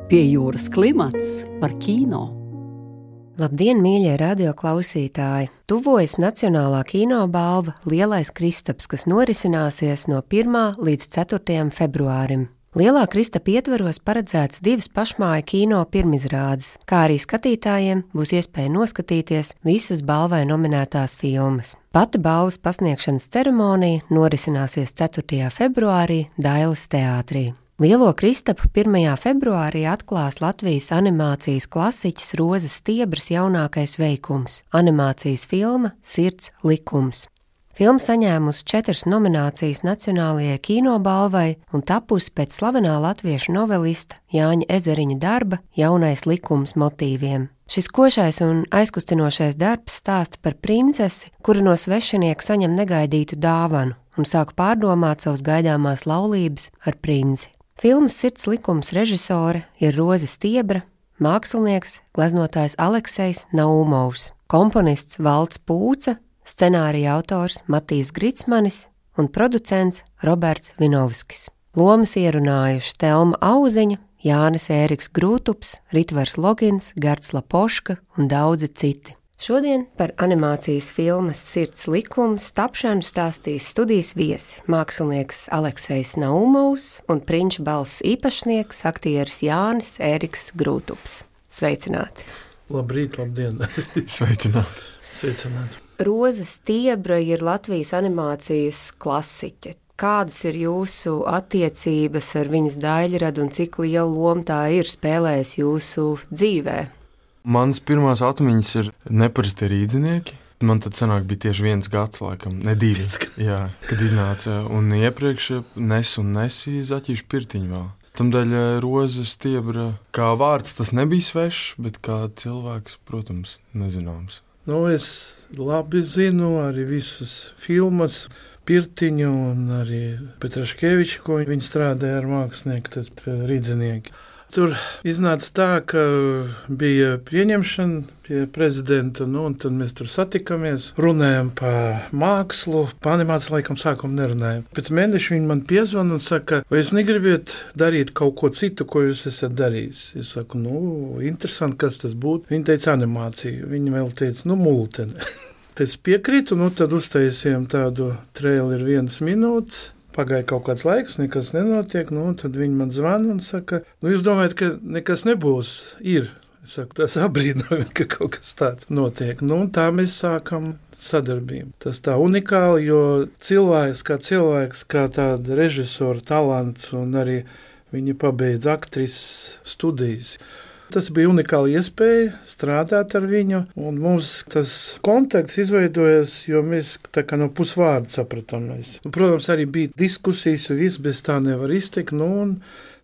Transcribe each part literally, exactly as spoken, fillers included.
Pie jūras klimats par kino. Labdien, mīļie radioklausītāji! Tuvojas Nacionālā kinobalva Lielais Kristaps, kas norisināsies no pirmā līdz ceturtajam februārim. Lielā Kristapa ietvaros paredzēts divas pašmāju kino pirmizrādes, kā arī skatītājiem būs iespēja noskatīties visas balvai nominētās filmas. Pati balvas pasniegšanas ceremonija norisināsies ceturtajā februārī Dailes teātrī. Lielo Kristapu pirmajā februārī atklās Latvijas animācijas klasiķis Rozes Stiebras jaunākais veikums – animācijas filma Sirds likums. Filma saņēmusi četras nominācijas Nacionālajai kinobalvai un tapusi pēc slavenā latviešu novelista Jāņa Ezeriņa darba Jaunais likums motīviem. Šis košais un aizkustinošais darbs stāsta par princesi, kura no svešinieka saņem negaidītu dāvanu un sāk pārdomāt savas gaidāmās laulības ar princi. Filmas Sirds likums režisore ir Roze Stiebra, mākslinieks, gleznotājs Aleksejs Naumovs, komponists Valds Pūca, scenārija autors Matijs Gritsmanis un producents Roberts Vinovskis. Lomas ierunājuši Telma Auziņa, Jānis Ēriks Grūtups, Ritvars Logins, Gards Lapoška un daudzi citi. Šodien par animācijas filmas Sirds likums tapšanu stāstīs studijas viesi, mākslinieks Aleksejs Naumovs un prinča balss īpašnieks, aktieris Jānis Ēriks Grūtups. Sveicināti! Labrīt, labdien! Sveicināti! Sveicināti! Roze Stiebra ir Latvijas animācijas klasiķe. Kādas ir jūsu attiecības ar viņas daļradu un cik liela loma tā ir spēlējis jūsu dzīvē? Manas pirmās atmiņas ir neparasti rīdzinieki. Man tad sanāk bija tieši viens gads, laikam, ne divi, jā, kad iznāca. Un iepriekš Nes un Nesī Zaķīšu pirtiņu vēl. Tamdēļ Roze Stiebra, kā vārds tas nebija svešs, bet kā cilvēks, protams, nezināms. Nu, es labi zinu arī visas filmas, Pirtiņu un arī Petraškeviču, ko viņi strādāja ar mākslinieku, tad rīdzinieki. Tur iznāca tā, ka bija pieņemšana pie prezidenta, nu, un tad mēs tur satikamies, runājam par mākslu, par animāciju laikam sākumu nerunājam. Pēc mēneša viņi man piezvana un saka, vai jūs negribiet darīt kaut ko citu, ko jūs esat darījis? Es saku, nu, interesanti, kas tas būtu. Viņi teica animāciju, viņi vēl teica, nu, multeni. Es piekrītu, nu, tad uztaisījām tādu traileri vienas minūtes. Pagāja kaut kāds laiks, nekas nenotiek, nu, un tad viņi man zvana un saka, nu, jūs domājat, ka nekas nebūs? Ir. Es saku, tas abrīnojami, ka kaut kas tāds notiek. Nu, un tā mēs sākam sadarbību. Tas tā unikāli, jo cilvēks kā cilvēks, kā tāda režisora talants, un arī viņi pabeidz aktrises studijas. Tas bija unikāli iespēja strādāt ar viņu, un mums tas kontakts izveidojas, jo mēs tā kā no pusvārda sapratāmies. Protams, arī bija diskusijas, un viss bez tā nevar iztikt, nu, un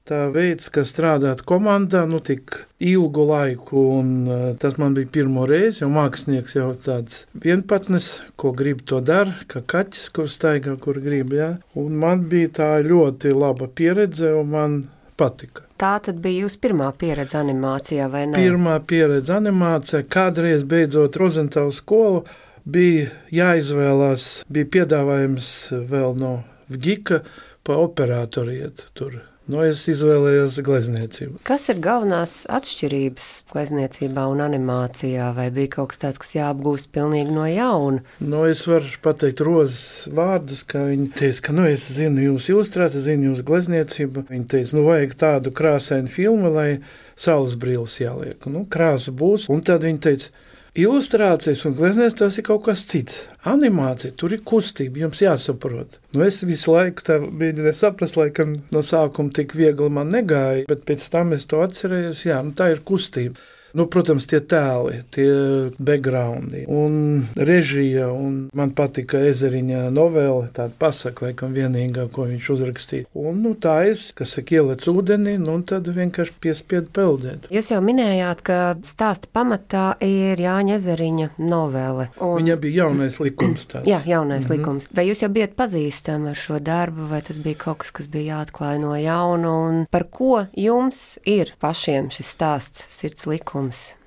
tā veids, ka strādāt komandā, nu, tik ilgu laiku, un uh, tas man bija pirmo reizi, jo mākslinieks jau tāds vienpatnes, ko grib to dara, kā kaķis, kur staigā, kur grib, jā. Un man bija tā ļoti laba pieredze, un man patika. Tā tad bija jūsu pirmā pieredze animācijā, vai ne? Pirmā pieredze animācijā. Kādreiz beidzot Rozentālu skolu bija jāizvēlās, bija piedāvājums vēl no Vgika pa operātoru iet tur. Nu, es izvēlējos glezniecību. Kas ir galvenās atšķirības glezniecībā un animācijā? Vai bija kaut kas tāds, kas jāapgūst pilnīgi no jauna? Nu, es varu pateikt Rozes vārdus, ka viņi teica, ka, nu, es zinu jūsu ilustrāciju, zinu jūsu glezniecību. Viņi teica, nu, vajag tādu krāsainu filmu, lai saules brīles jāliek. Nu, krāsa būs. Un tad viņi teica, ilustrācijas un glezniecības tas ir kaut kas cits. Animācija, tur ir kustība, jums jāsaprot. Nu, es visu laiku tā mēģināju saprast, laikam no sākuma tik viegli man negāja, bet pēc tam es to atcerējos, jā, nu tā ir kustība. Nu, protams, tie tēli, tie backgroundi un režija, un man patika Ezeriņa novele, tāda pasaka, laikam vienīgā, ko viņš uzrakstīja. Un, nu, tā es, kas saka, ielec ūdenī, nu, un tad vienkārši piespiedu peldēt. Jūs jau minējāt, ka stāsta pamatā ir Jāņa Ezeriņa novele. Un... Viņa bija Jaunais likums tāds. Jā, Jaunais mm-hmm. likums. Vai jūs jau bijat pazīstami ar šo darbu, vai tas bija kaut kas, kas bija jāatklāj no jauna, un par ko jums ir pašiem šis stāsts Sirds likums?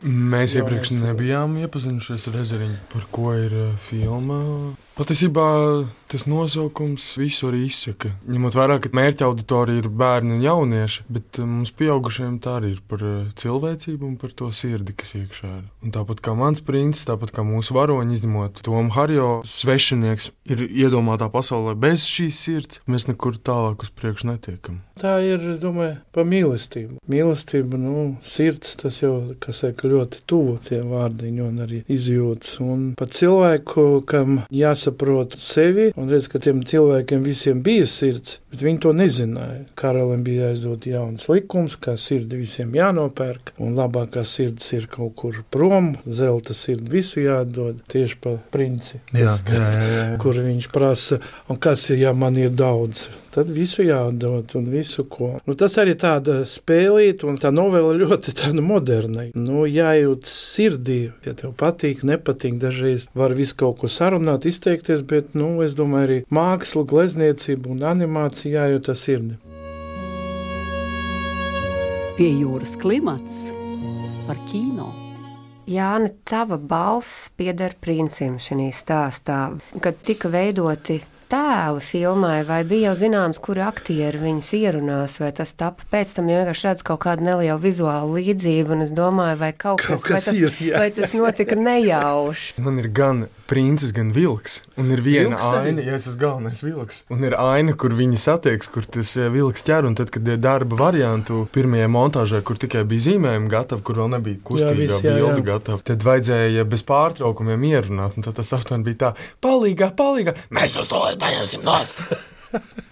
Mēs iepriekš nebijām iepazinušies ar Ezeriņu, par ko ir filma. Patiesībā tas nosaukums visu arī izsaka. Ņemot vērā, ka mērķa auditorija ir bērni un jaunieši, bet mums pieaugušiem tā arī ir par cilvēcību un par to sirdi, kas iekšā ir. Un tāpat kā mans princis, tāpat kā mūsu varoņi, izņemot Tomu Harjo, svešinieks ir iedomātā pasaulē bez šīs sirds, mēs nekur tālāk uz priekšu netiekam. Tā ir, es domāju, pa mīlestību. Mīlestība, nu, sirds, tas jau, kas saka, ļoti tuvu tie vārdiņi un arī izjūtas. Un pat cilvēku, kam jāsaprot sevi, un redz, ka tiem cilvēkiem visiem bija sirds, bet viņi to nezināja. Karalim bija aizdot jauns likums, kā sirdi visiem jānopērk, un labākā sirds ir kaut kur prom, zelta sirdi visu jādod, tieši pa princi, Jā, jā, jā, jā. kur viņš prasa, un kas ir, ja man ir daudz, tad visu jādod un visu ko. Nu, tas arī tāda spēlīt, un tā novela ļoti tāda moderna. Nu, jājūt sirdī, ja tev patīk, nepatīk, dažreiz var visu kaut ko sarunāt, izteikties, bet, nu, es domāju, arī mākslu, glezniecību un animāciju jājūt ar sirdi. Pie jūras klimats par kino. Jāni, tava balss pieder princim šajā stāstā. Kad tika veidoti tēli filmai, vai bija jau zināms, kuri aktieri viņus ierunās, vai tas tapa pēc tam, jo vienkārši redz kaut kādu nelielu vizuālu līdzību, un es domāju, vai kaut, Kaut kas, kas vai, ir, tas, jā. vai tas notika nejauši. Man ir gan princis, gan vilks. Un ir viena Vilks arī? aina, ja es esmu galvenais vilks. Un ir aina, kur viņi satieks, kur tas eh, vilks ķer. Un tad, kad ir darba variantu pirmajā montāžā, kur tikai bija zīmējumi gatavi, kur vēl nebija kustīgā viss, jā, bilde jā. gatava, tad vajadzēja bez pārtraukumiem ierunāt. Un tad tas aptuveni bija tā, palīgā, palīgā, mēs uz to paņemsim nost.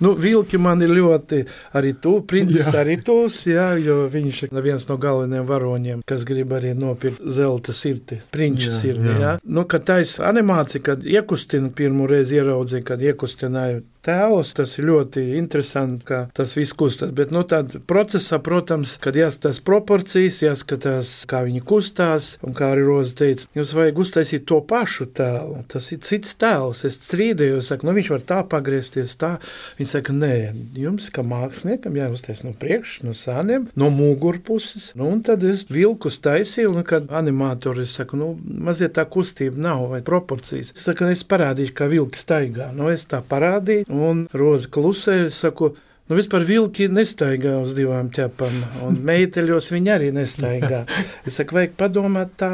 Nu, vilki man ir ļoti arī tu, princis Jā. arī tūs, jā, jo viņš ir viens no galvenajiem varoņiem, kas grib arī nopirkt zelta sirdi, prinča Jā, sirdi, jā. jā. Nu, kad taisa animācija, kad iekustina pirmo reizi ieraudzīja, kad iekustināju tēlus, tas ir ļoti interesanti, ka tas viss kustās, bet, nu, tad procesā, protams, kad jāskatās proporcijas, jāskatās, kā viņi kustās, un kā arī Roza teica, jums vajag uztaisīt to pašu tēlu, tas ir cits tēls, es strīdēju, saku, nu, viņš var tā pagriezties, tā. Viņi saka, nē, jums, kā māksliniekam, jāuztais no priekš, no sāniem, no mugurpuses. Nu, un tad es vilkus taisīju, un kad animātori saka, nu, maziet tā kustība nav vai proporcijas. Es saku, es parādīšu, kā vilki staigā. Nu, es tā parādīju, un Roza klusē, es saku, nu, vispār vilki nestaigā uz divām ķepām, un meiteļos viņi arī nestaigā. Es saku, vajag padomāt tā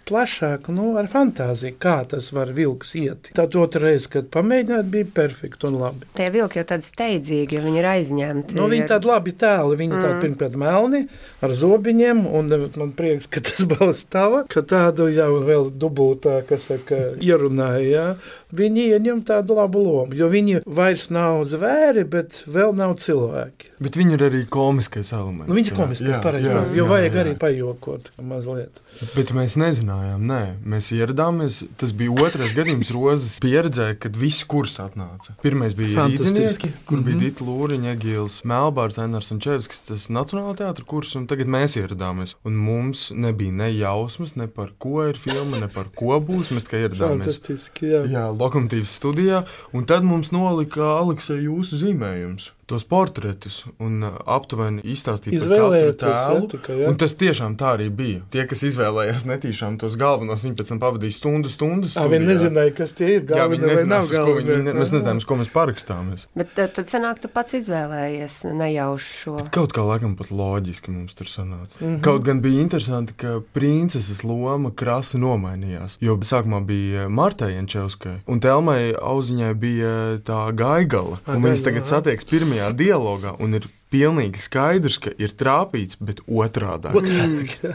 plašāk, nu, ar fantāziju, kā tas var vilks iet. Tad otra reize, kad pamēģināt, bija perfekti un labi. Tie vilki jau tādi steidzīgi, jo viņi ir aizņemti. Nu, viņi tādi labi tēli, viņi mm. tādi pirmkārt melni, ar zobiņiem, un man prieks, ka tas balsts tava, ka tādu jau vēl dubultā, kas saka, ierunāja, jā. Viņi ieņem tādu labu lomu, jo viņi vairs nav zvēri, bet vēl nav cilvēki. Bet viņi ir arī komiskais elements. Nu, viņi ir komiski, pareizi, jā, jo jā, vajag jā. arī pajokot mazliet. Bet mēs nezinājām, nē, mēs ieradāmies. Tas bija otrais gadījums Rozas pieredzē, kad visi kurs atnāca. Pirmais bija Fantastiski. Rīdzinieki, kur bija Mhm. Dita Lūriņa, Egīls Melbārds, Ainars Sančevskis, tas Nacionālā teātra kurs, un tagad mēs ieradāmies. Un mums nebija ne jausmas, ne par ko ir filma, ne par ko būs, mēs tikai ieradāmies. Fantastiski, jā. Jā, Lokomotīvas studijā, un tad mums nolika Aleksei jūsu zīmējums, tos portretus, un uh, aptuveni izstāstīja par katru Izvēlēties, tēlu. jā, tikai, jā. Un tas tiešām tā arī bija. Tie, kas izvēlējās netīšām tos galvenos, viņi pēc tam pavadīja stundu, stundu Ā, viņi studijā. nezināja, kas tie ir Jā, galvenie viņi vai nezinās, nav uz ko viņi, galvenie. ne, mēs nezinām, uz ko mēs parakstāmies. Bet tad, tad sanāk, tu pats izvēlējies nejauši šo. Kaut kā laikam pat loģiski mums tur sanāca. Mhm. Kaut gan bija interesanti, ka princeses loma krasi nomainījās. Jo sākumā bija Martai Jančevskai, un Telmai Auziņai bija tā Gaigala. A, Un viņas Gaigala, tagad jā. satieks pirmajā dialogā, un ir pilnīgi skaidrs, ka ir trāpīts, bet otrādā. Otrādi.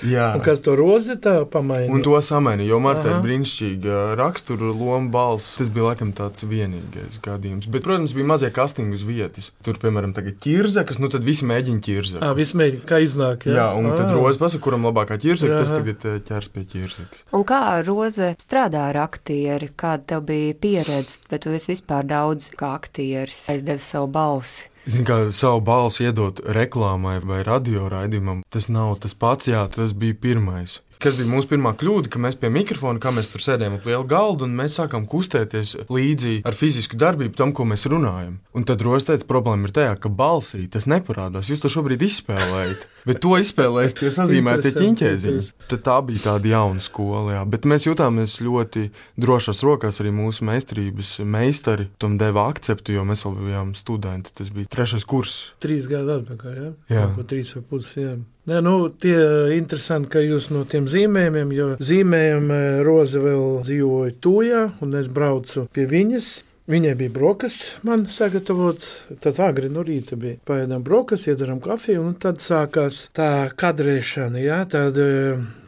Jā. Un kas to Rozi tā pamainīja? Un to samainīja, jo Marta Aha. ir brīnišķīga rakstura loma, balss. Tas bija laikam tāds vienīgais gadījums. Bet, protams, bija mazie kastingi uz vietas. Tur, piemēram, tagad ķirzakas, nu tad visi mēģina ķirzaku. Ā, vismēģi, kā iznāk, jā. Jā, un tad Ā. Roza pasaka, kuram labākā ķirzaka, tas Jā. tagad eh, ķers pie ķirzakas. Un kā Roze strādā ar aktieri? Kāda tev bija pieredze? Vai tu esi vispār daudz kā aktieris aizdevis savu balsi? Zini, kā savu balsi iedot reklāmai vai radioraidījumam, tas nav tas pats, jā, tas bija pirmais. Kas bija mūsu pirmā kļūda, ka mēs pie mikrofona, kā mēs tur sēdējām ap lielu galdu, un mēs sākām kustēties līdzi ar fizisku darbību tam, ko mēs runājam. Un tad Roza teica, problēma ir tajā, ka balsī tas neparādās. Jūs to šobrīd izspēlējat, bet to izspēlēs tie sazīmētie ķiņķēziņi. Tad tā bija tāda jauna skola, jā. Bet mēs jutāmies ļoti drošās rokās, arī mūsu meistarības meistari tam deva akceptu, jo mēs vēl bijām studenti. Tas bija trešais kurs. Trīs gadu atpakaļ, jā? Jā. Ko trīs vai puses, jā. Nē, nu, tie interesanti, ka jūs no tiem zīmējumiem, jo zīmējumi Roza vēl dzīvoja Tūjā, un es braucu pie viņas. Viņai bija brokastis, man sagatavots, tas agri no rīta bija. Paēdām brokastis, iedzeram kafiju, un tad sākās tā kadrēšana, jā, tāda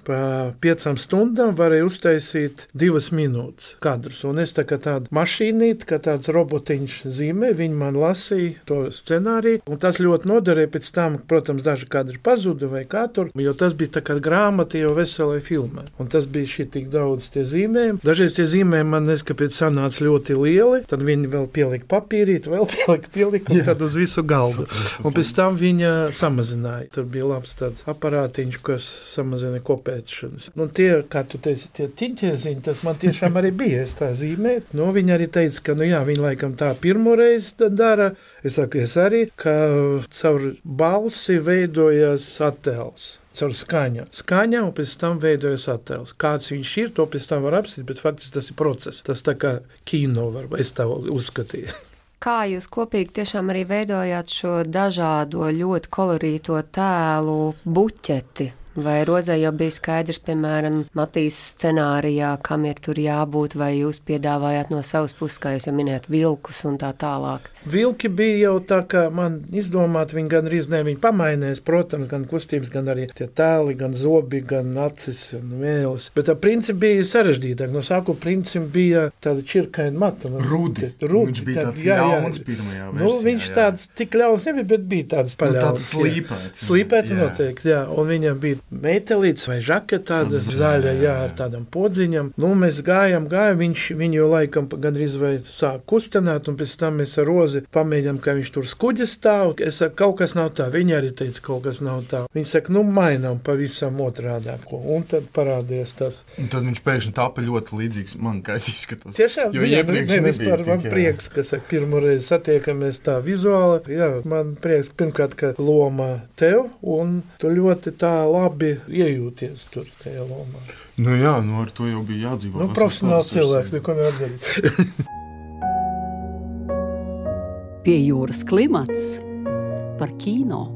pa piecām stundām varēja uztaisīt divas minūtes kadrus. Un es tā kā tādu mašīnīti, kā tāds robotiņš zīmē, viņi man lasīja to scenāriju, un tas ļoti noderēja pēc tam, protams, daži kadri pazuda vai kā tur, jo tas bija tā kā grāmata jau veselai filmai. Un tas bija šī tik daudz tie zīmējumi. Dažreiz tie zīmējumi man neskapēc sanāca ļoti lieli, tad viņi vēl pielika papīrīt, vēl pielika, pielika, un tad uz visu galdu. Un pēc tam viņa samazināja. Tur bija labs tāds aparātiņš, kas samazina kopē. Nu, tie, kā tu teici, tie ķiņķēziņi, tas man tiešām arī bija, es tā zīmēju. Nu, viņi arī teica, ka, nu jā, viņi laikam tā pirmo reizi dara. Es saku, es arī, ka caur balsi veidojas attēls. Caur skaņu. Skaņa, un pēc tam veidojas attēls. Kāds viņš ir, to pēc tam var apstīt, bet faktiski tas ir process. Tas tā kā kino var, es tā uzskatīju. Kā jūs kopīgi tiešām arī veidojāt šo dažādo, ļoti kolorīto tēlu buķeti? Vai Rozai jau bija skaidrs, piemēram, Matīsas scenārijā, kam ir tur jābūt, vai jūs piedāvājāt no savas puses, kā jūs jau minējāt, vilkus un tā tālāk? Vilki bija jau tā, kā man izdomāt, viņi gan arī ne, viņi pamainēs, protams, gan kustības, gan arī tie tēli, gan zobi, gan acis un mēlis. Bet tā principi bija sarežģītāk. No sākuma principi bija tāda čirkaina mata. Rudi. Rudi. Viņš bija tā, tāds jā, ļauns pirmajā versijā. Nu, viņš jā. tāds tik ļauns nebija, bet bija tāds paļauns. Nu, tāds slīpēts. Slīpēts noteikti, jā. Un viņam bija meitelīts vai žaketa tāda zaļa, jā, ar tādam podziņam. Nu, mēs gājam, gājam, viņš viņu jau laikam gandrīz vai sāk kustenāt, un pēc tam mēs ar Rozi pamēģinām, ka viņš tur skuģis stāv. Es saku, kaut kas nav tā. Viņa arī teica, kaut kas nav tā. Viņa saka, nu, mainām pavisam otrādāko. Un tad parādījās tas. Un tad viņš pēkšņi tāpa ļoti līdzīgs man, kā es izskatos. Tiešām, jo jā, iepriekš ne, nebija. Par, man tik, prieks, ka, saka, pirmo reizi satiekamies tā vizuāli. Jā, man prieks, pirmkārt, ka loma tev, un tu ļoti tā labi iejūties tur tajā lomā. Nu jā, nu ar to jau bija jādzīvo. Nu, profesionāls cilvēks, neko nevar darīt. Pie jūras klimats par kino.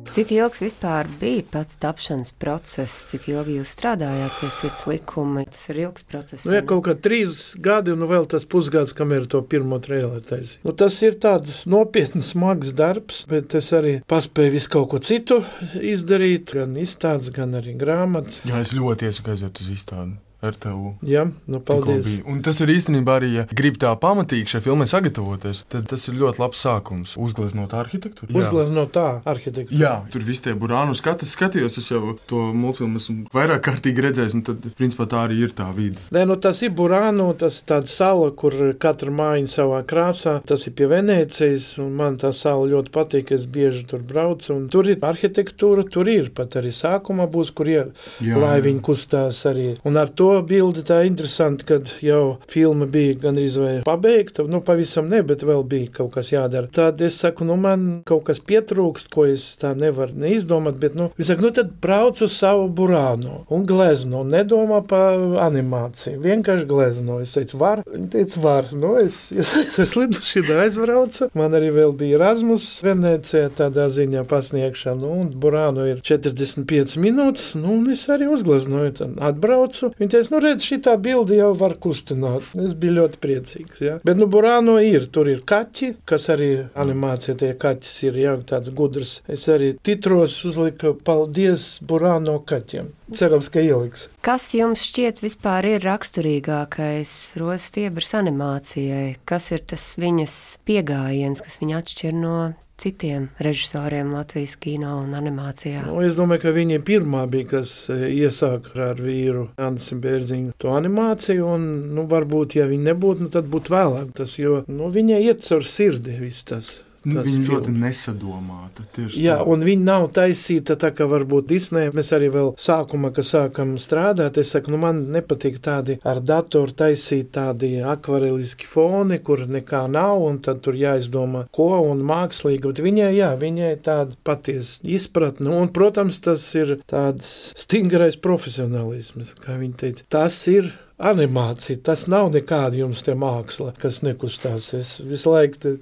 Cik ilgs vispār bija pats tapšanas process? Cik ilgi jūs strādājāt pie sirds likuma? Tas ir ilgs process. Nu, ja kaut kā trīs gadi, un vēl tas pusgads, kamēr to pirmo traileru taisīju. Nu, tas ir tāds nopietns, smags darbs, bet es arī paspēju visu kaut ko citu izdarīt, gan izstādes, gan arī grāmatas. Jā, es ļoti iesaku aiziet uz izstādi. R T U. Jā, nu paldies. Un tas ir īstenībā arī, ja grib tā pamatīgi šai filmai sagatavoties, tad tas ir ļoti labs sākums. Uzgleznot arhitektūru. Uzgleznot tā arhitektūru. Jā, tur viss tie burānu skatas skatījos, es jau to multfilmu esmu vairāk kārtīgi redzējis, un tad, principā, tā arī ir tā vide. Nē, nu tas ir burānu, tas ir tāda sala, kur katra mājiņa savā krāsā. Tas ir pie Venēcijas, un man tā sala ļoti patīk, es bieži tur braucu, un tur ir arhitektūra, tur ir pat arī sākumā būs, kur ir, lai viņi kustās arī. Un ar to bildi tā interesanti, kad jau filma bija gandrīz vai pabeigta, nu pavisam ne, bet vēl bija kaut kas jādara. Tad es saku, nu man kaut kas pietrūkst, ko es tā nevaru neizdomāt, bet nu, es saku, nu tad brauc uz savu burānu un glezno, nedomā par animāciju, vienkārši glezno. Es teicu, var? Viņa teica, var. Nu, es, es, es lidušidā aizbraucu, man arī vēl bija Erasmus Venēcijā tādā ziņā pasniegšana, nu, un burānu ir četrdesmit piecas minūtes, nu, un es arī uzgleznoju, tad atbraucu. Viņa teica, nu redz, šitā bildi jau var kustināt. Es biju ļoti priecīgs, jā. Bet, nu, burāno ir, tur ir kaķi, kas arī animācija, tie kaķis ir, jā, tāds gudrs. Es arī titros uzliku, paldies burāno kaķiem. Cerams, ka ieliks. Kas jums šķiet vispār ir raksturīgākais Rozas Stiebras animācijai? Kas ir tas viņas piegājiens, kas viņu atšķir no citiem režisoriem Latvijas kino un animācijā? Nu, es domāju, ka viņa pirmā bija, kas iesāka ar vīru Andisi Bērziņu to animāciju, un, nu, varbūt, ja viņa nebūtu, nu, tad būtu vēlāk tas, jo, nu, viņa iet caur sirdi viss tas. Viņa ļoti nesadomāta. Jā, tā. Un viņa nav taisīta tā, kā varbūt Disney. Mēs arī vēl sākumā, kad sākam strādāt, es saku, nu man nepatīk tādi ar datoru taisīt tādi akvareliski foni, kur nekā nav, un tad tur jāizdomā ko, un mākslīgi, bet viņai, jā, viņai tāda patiesa izpratne, un, protams, tas ir tāds stingrais profesionālisms, kā viņa teica. Tas ir animācija, tas nav nekāda jums te māksla, kas nekustās. Es visu laiku te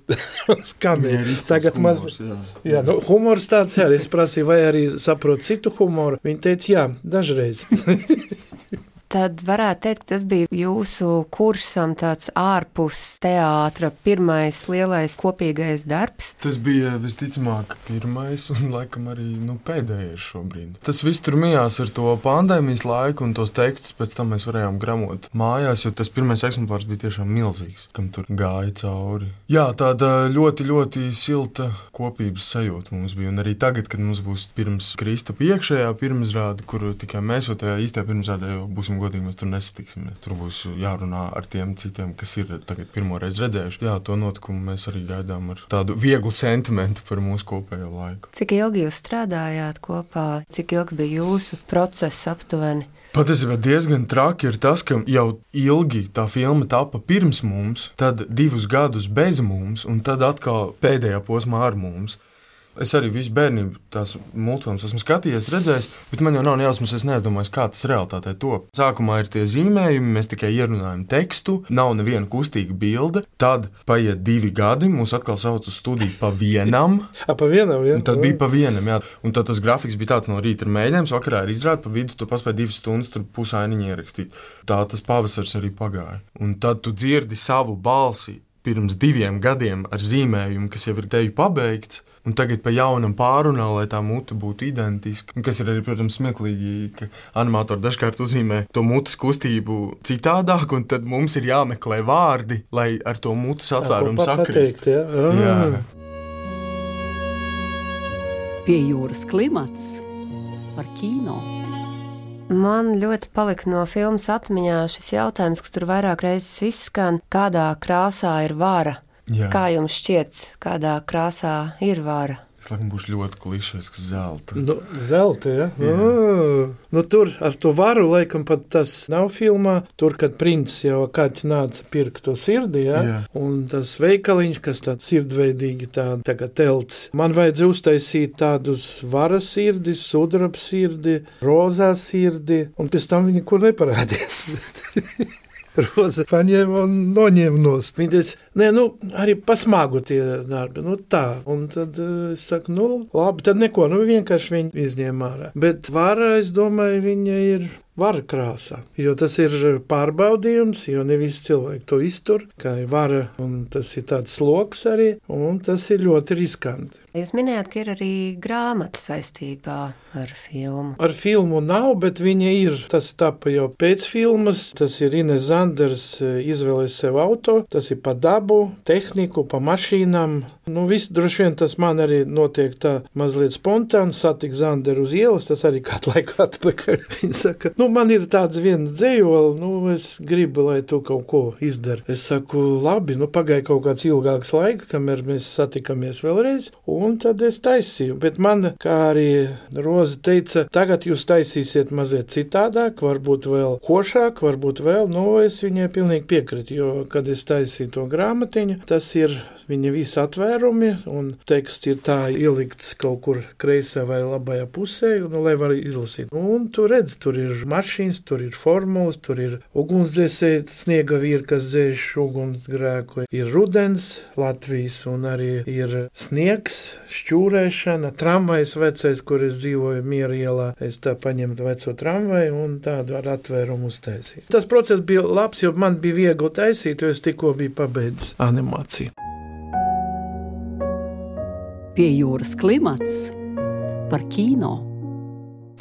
skanēju. Tagad maz... Jā, jā nu, humors tāds, jā, es prasīju, vai arī saprot citu humoru. Viņa teica, jā, dažreiz. Tad varētu teikt, ka tas bija jūsu kursam tāds ārpus teātra pirmais lielais kopīgais darbs? Tas bija visticamāk pirmais un laikam arī nu, pēdējais šobrīd. Tas viss tur mijās ar to pandēmijas laiku un tos tekstus pēc tam mēs varējām gramot mājās, jo tas pirmais eksemplārs bija tiešām milzīgs, kam tur gāja cauri. Jā, tāda ļoti, ļoti silta kopības sajūta mums bija, un arī tagad, kad mums būs pirms Kristapa iekšējā pirmizrāde, kur tikai mēs, jo tajā īstajā pirmizrādē jau būsim godīgi, mēs tur nesatiksim. Tur būs jārunā ar tiem citiem, kas ir tagad pirmoreiz redzējuši. Jā, to notikumu mēs arī gaidām ar tādu vieglu sentimentu par mūsu kopējo laiku. Cik ilgi jūs strādājāt kopā? Cik ilgs bija jūsu process aptuveni? Patiesībā diezgan traki ir tas, ka jau ilgi tā filma tapa pirms mums, tad divus gadus bez mums, un tad atkal pēdējā posmā ar mums. Es arī visu bērnību tās multfilmas esmu skatījies, redzējis, bet man jau nav jausmas, es neaizdomājos, kā tas realitātē top. Sākumā ir tie zīmējumi, mēs tikai ierunājam tekstu, nav neviena kustīga bilde, tad paiet divi gadi, mūs atkal sauc uz studiju pa vienam. A, pa vienam, jā. Un tad bija pa vienam, jā. Un tad tas grafiks bija tāds no rīta ir mēģinājums, vakarā ir izrāde, pa vidu tu paspēji divas stundas tur pusainiņu ierakstīt. Tā tas pavasars arī pagāja. Un tad tu dzirdi savu balsi pirms diviem gadiem ar zīmējumu, kas jau ir teju pabeigts, un tagad pa jaunam pārunā, lai tā mute būtu identiska. Un kas ir arī, protams, smieklīgi, ka animatori dažkārt uzzīmē to mutes kustību citādāk, un tad mums ir jāmeklē vārdi, lai ar to mutes atvērumu sakrist. Jā. Jā. Pie jūras klimats par kino. Man ļoti palika no filmas atmiņā šis jautājums, kas tur vairāk reizes izskan, kādā krāsā ir vara. Jā. Kā jums šķiet, kādā krāsā ir vara? Es laikam būšu ļoti klišejisks zelta. Nu, zelta, ja? Mm. Nu, tur ar to varu, laikam pat tas nav filmā. Tur, kad princis jau kāds nāca pirkt to sirdi, ja? Jā. Un tas veikaliņš, kas tāds sirdveidīgi tā, tā kā telts. Man vajadzēja uztaisīt tādus varas sirdi, sudraba sirdi, rozā sirdi, un pēc tam viņi kur neparādījās. Roza paņēma un noņēma nost. Viņa teica, nē, nu, arī pasmagu tie darbi, nu tā. Un tad es saku, nu, labi, tad neko, nu, vienkārši viņi izņēma ārā. Bet vara, es domāju, viņa ir vara krāsā, jo tas ir pārbaudījums, jo ne visi cilvēki to iztur, kā ir vara, un tas ir tāds sloks arī, un tas ir ļoti riskanti. Jūs minējāt, ka ir arī grāmata saistībā ar filmu. Ar filmu nav, bet viņa ir. Tas tapa jau pēc filmas, tas ir Ines Zanders izvēlēs sev auto, tas ir pa dabu, tehniku, pa mašīnām. Nu, viss droši vien tas man arī notiek tā mazliet spontāni, satik Zanderu uz ielas, tas arī kādu laiku atpakaļ. Viņa saka, nu, man ir tāds viena dzējola, nu, es gribu, lai tu kaut ko izdari. Es saku, labi, nu, pagāja kaut kāds ilgāks laiks, kamēr mēs satikamies vēlreiz, un tad es taisīju. Bet man, kā arī Roza teica, tagad jūs taisīsiet mazliet citādāk, varbūt vēl košāk, varbūt vēl, nu, es viņai pilnīgi piekritu, jo, kad es taisīju to grāmatiņu, tas ir viņa visi atvērumi, un teksts ir tā ielikts kaut kur kreisā vai labajā pusē, nu, lai var izlasīt. Un tu redz, tur ir mašīnas, tur ir formulas, tur ir ugunsdzēsēji, sniega vīri, kas dzēš ugunsgrēku, ir rudens Latvijas, un arī ir sniegs, šķūrēšana, tramvajs vecais, kur es dzīvoju Miera ielā, es tā paņemtu veco tramvaju un tādu ar atvērumu uztaisīju. Tas process bija labs, jo man bija viegli taisīt, jo es tikko biju pabeidzis animāciju. Pie jūras klimats par kino.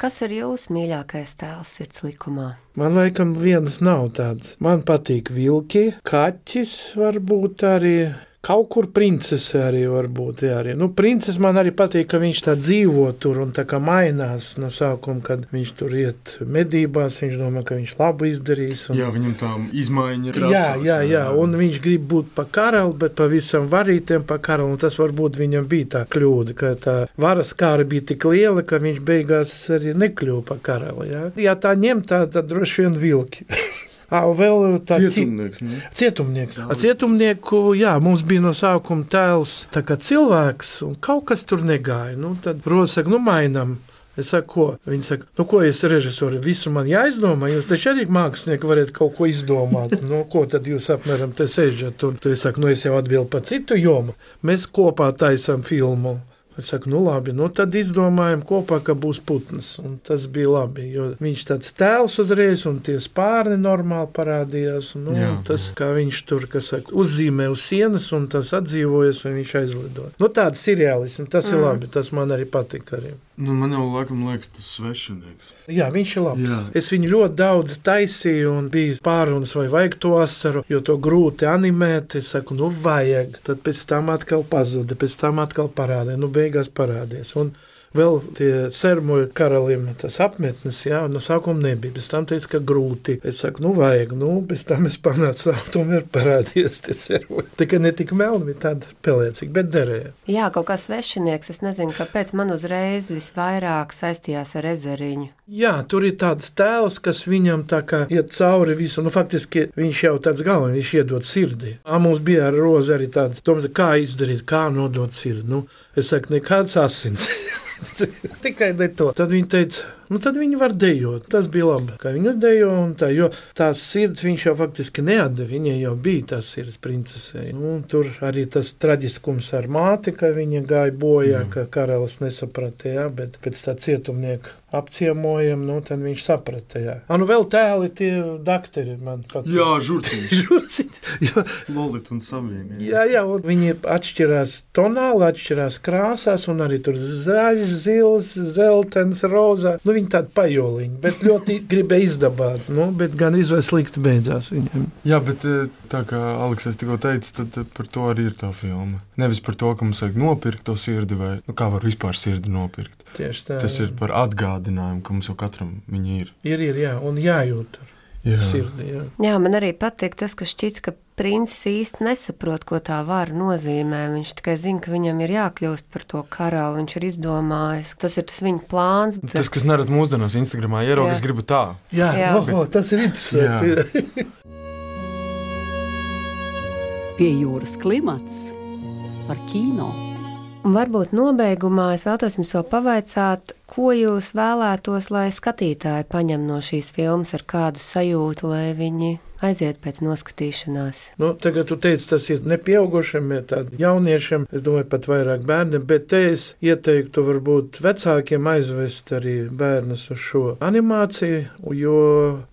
Kas ir jūsu mīļākais tēls sirds likumā? Man laikam vienas nav tāds. Man patīk vilki, kaķis varbūt arī. kaut kur princese arī var būt. Jā, arī. Nu, princese man arī patīk, ka viņš tā dzīvo tur un tā kā mainās no sākuma, kad viņš tur iet medībās, viņš domā, ka viņš labu izdarīs. Un... Jā, viņam tā izmaiņa ir. Jā, jā, jā, un viņš grib būt pa karali, bet pavisam varītiem pa karali, un tas varbūt viņam bija tā kļūda, ka tā varas kāra bija tik liela, ka viņš beigās arī nekļuva pa karali. Jā, jā tā ņem tā, tad droši vien vilki. À, vēl tā cietumnieks. Ne? Cietumnieks. A, cietumnieku, jā, mums bija no sākuma tēls tā kā cilvēks, un kaut kas tur negāja. Nu, tad Roza saka, nu mainam. Es saku, ko? Viņi saka, nu ko es režisori, visu man jāizdomā, jūs taču arī mākslinieki varat kaut ko izdomāt. Nu, ko tad jūs apmēram te sežat? Un tu es saku, nu es jau atbildu par citu jomu. Mēs kopā taisam filmu. Es saku, nu labi, nu tad izdomājam kopā, ka būs putns. Un tas bija labi, jo viņš tāds tēls uzreiz, un tie spārni normāli parādījās. Un, nu, tas, kā viņš tur, kas saka, uzzīmē uz sienas, un tas atdzīvojas, un viņš aizlido. Nu tāds seriālisms, tas mm. ir labi, tas man arī patika arī. Nu, man jau laikam liekas tas svešinieks. Jā, viņš ir labs. Jā. Es viņu ļoti daudz taisīju un bija pārunas, vai vajag to asaru, jo to grūti animēt. Es saku, nu vajag. Tad pēc tam atkal pazuda, pēc tam atkal parādīja. Nu beigās parādies. Un vēl tie sermuļu karalim tas apmetnes, jā, no sākuma nebija. Pēc tam teica, ka grūti. Es saku, nu vajag, nu, pēc tam es panācu, tomēr parādījies tie sermuļi. Tikai ne tik melni, bija tāda pelēcīga, bet derēja. Jā, kaut kā svešinieks, es nezinu, kāpēc man uzreiz visvairāk saistījās ar ezeriņu. Jā, tur ir tāds tēls, kas viņam tā kā iet cauri visu. Nu, faktiski viņš jau tāds galvenais, viņš iedod sirdī. A, mums bija ar Rozi arī tāds, domāju, kā izdarīt, kā nodot sirdi. Nu, es saku, nekāds asins. Tikai ne to. Tad viņi teica, nu tad viņi var dejot. Tas bija labi, ka viņi dejo un tā, jo tās sirds viņš jau faktiski neatdeva, viņai jau bija tās sirds princesei. Nu, tur arī tas traģiskums ar māti, ka viņa gāja bojā, mm. ka karalis nesaprata, jā, bet pēc tā cietumnieka apciemojam, nu tad viņš saprata, jā. A, nu vēl tēli tie dakteri man pat. Jā, žurciņš. Žurciņš, jā. Lolit un Savieni. Jā, jā, un viņi atšķirās tonāli, atšķirās krāsās, un arī tur zaļš, zils, zeltens, rozā. Nu, viņi tādi pajoliņi, bet ļoti gribēja izdabāt, nu, bet gan izvēl slikti beidzās viņiem. Jā, bet tā kā Aleks tikko teica, tad par to arī ir tā filma. Nevis par to, ka mums vajag nopirkt to sirdi, vai, nu, kā var vispār sirdi nopirkt. Tieši tā. Tas ir par atgādinājumu, ka mums jau katram viņi ir. Ir, ir, jā, un jājūt ar jā. sirdi, jā. Jā, man arī patīk tas, ka šķiet, ka princis īsti nesaprot, ko tā vara nozīmē. Viņš tikai zina, ka viņam ir jākļūst par to karali, viņš ir izdomājis. Tas ir tas viņa plāns. Bet... Tas, kas nerad mūsdienās Instagramā ierauga, es gribu tā. Jā, jā. Oh, bet... oh, tas ir interesanti. Pie jūras klimats par kino. Un varbūt nobeigumā es vēlos jums vēl pavaicāt, ko jūs vēlētos, lai skatītāji paņem no šīs filmas, ar kādu sajūtu, lai viņi aiziet pēc noskatīšanās. Nu, tagad tu teici, tas ir nepieaugušiem, ja tādi jauniešiem, es domāju, pat vairāk bērniem, bet te es ieteiktu varbūt vecākiem aizvest arī bērnus uz šo animāciju, jo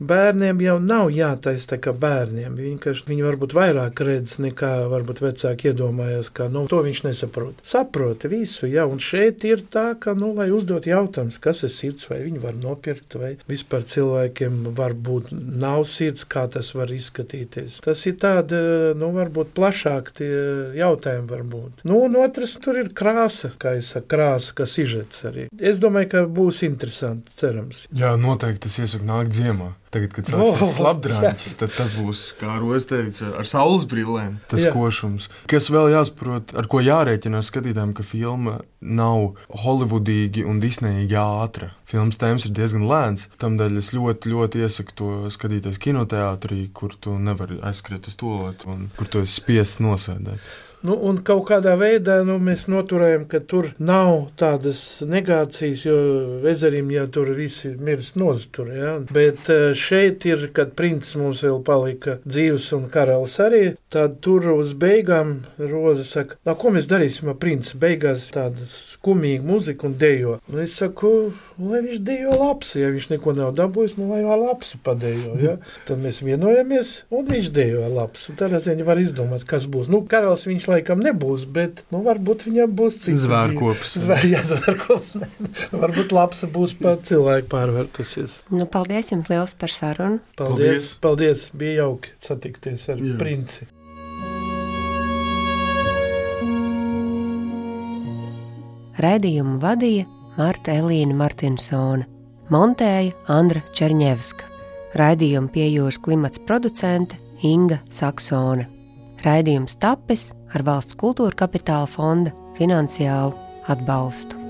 bērniem jau nav jātais tā kā bērniem. Viņi, viņi varbūt vairāk redz, nekā varbūt vecāki iedomājas, ka, nu, to viņš nesaprot. Saproti visu, jā, un šeit ir tā, ka, nu, lai uzdot jautājums, kas ir sirds, vai viņi var nopirkt, vai vispār cilvēkiem varbūt nav sirds, kā tas var izskatīties. Tas ir tāda, nu, varbūt plašāk tie jautājumi varbūt. Nu, un otrs, tur ir krāsa, kā es saku, krāsa, kā sižets arī. Es domāju, ka būs interesanti, cerams. Jā, noteikti tas iesaku nākt ziemā. Tagad, kad sāksies oh, slapdrāņķis, tad tas būs, kā Roza teica, ar saules brillēm, tas jā. Košums. Kas vēl jāsaprot, ar ko jārēķinās skatītājiem, ka filma nav holivudīgi un disneyīgi ātra. Filmas tēmas ir diezgan lēns, tamdēļ es ļoti, ļoti iesaku to skatīties kinoteātrī, kur tu nevari aizskriet uz tualeti un kur tu esi spiests nosēdēt. Nu, un kaut kādā veidā nu, mēs noturējam, ka tur nav tādas negācijas, jo ezerim jau tur visi mirst noztur, ja? Bet šeit ir, kad princis mums vēl palika dzīves un karalis arī, tad tur uz beigām Roza saka, no ko mēs darīsim ar princi? Beigās tāda skumīga muzika un dejo. Un es saku, lai viņš dejo lapsi, ja viņš neko nav dabūjis, nu lai vēl lapsi padejo, ja? Tad mēs vienojamies un viņš dejo lapsi. Tādā ziņā var izdomāt, kas būs. Nu, karalis viņš laikam nebūs, bet, nu, varbūt viņam būs cits. Zvērkops. Zvēr, jā, zvērkops. Ne. Varbūt lapsa būs pat cilvēku pārvērtusies. Nu, paldies jums liels par sarunu. Paldies, paldies. Bija jauki satikties ar jā. Princi. Raidījumu vadīja Marta Elīna Martinsone, montēja Andra Čerņevska. Raidījumu Pie jūras klimats producente Inga Saksone. Raidījums tapis ar Valsts kultūra kapitāla fonda finansiālu atbalstu.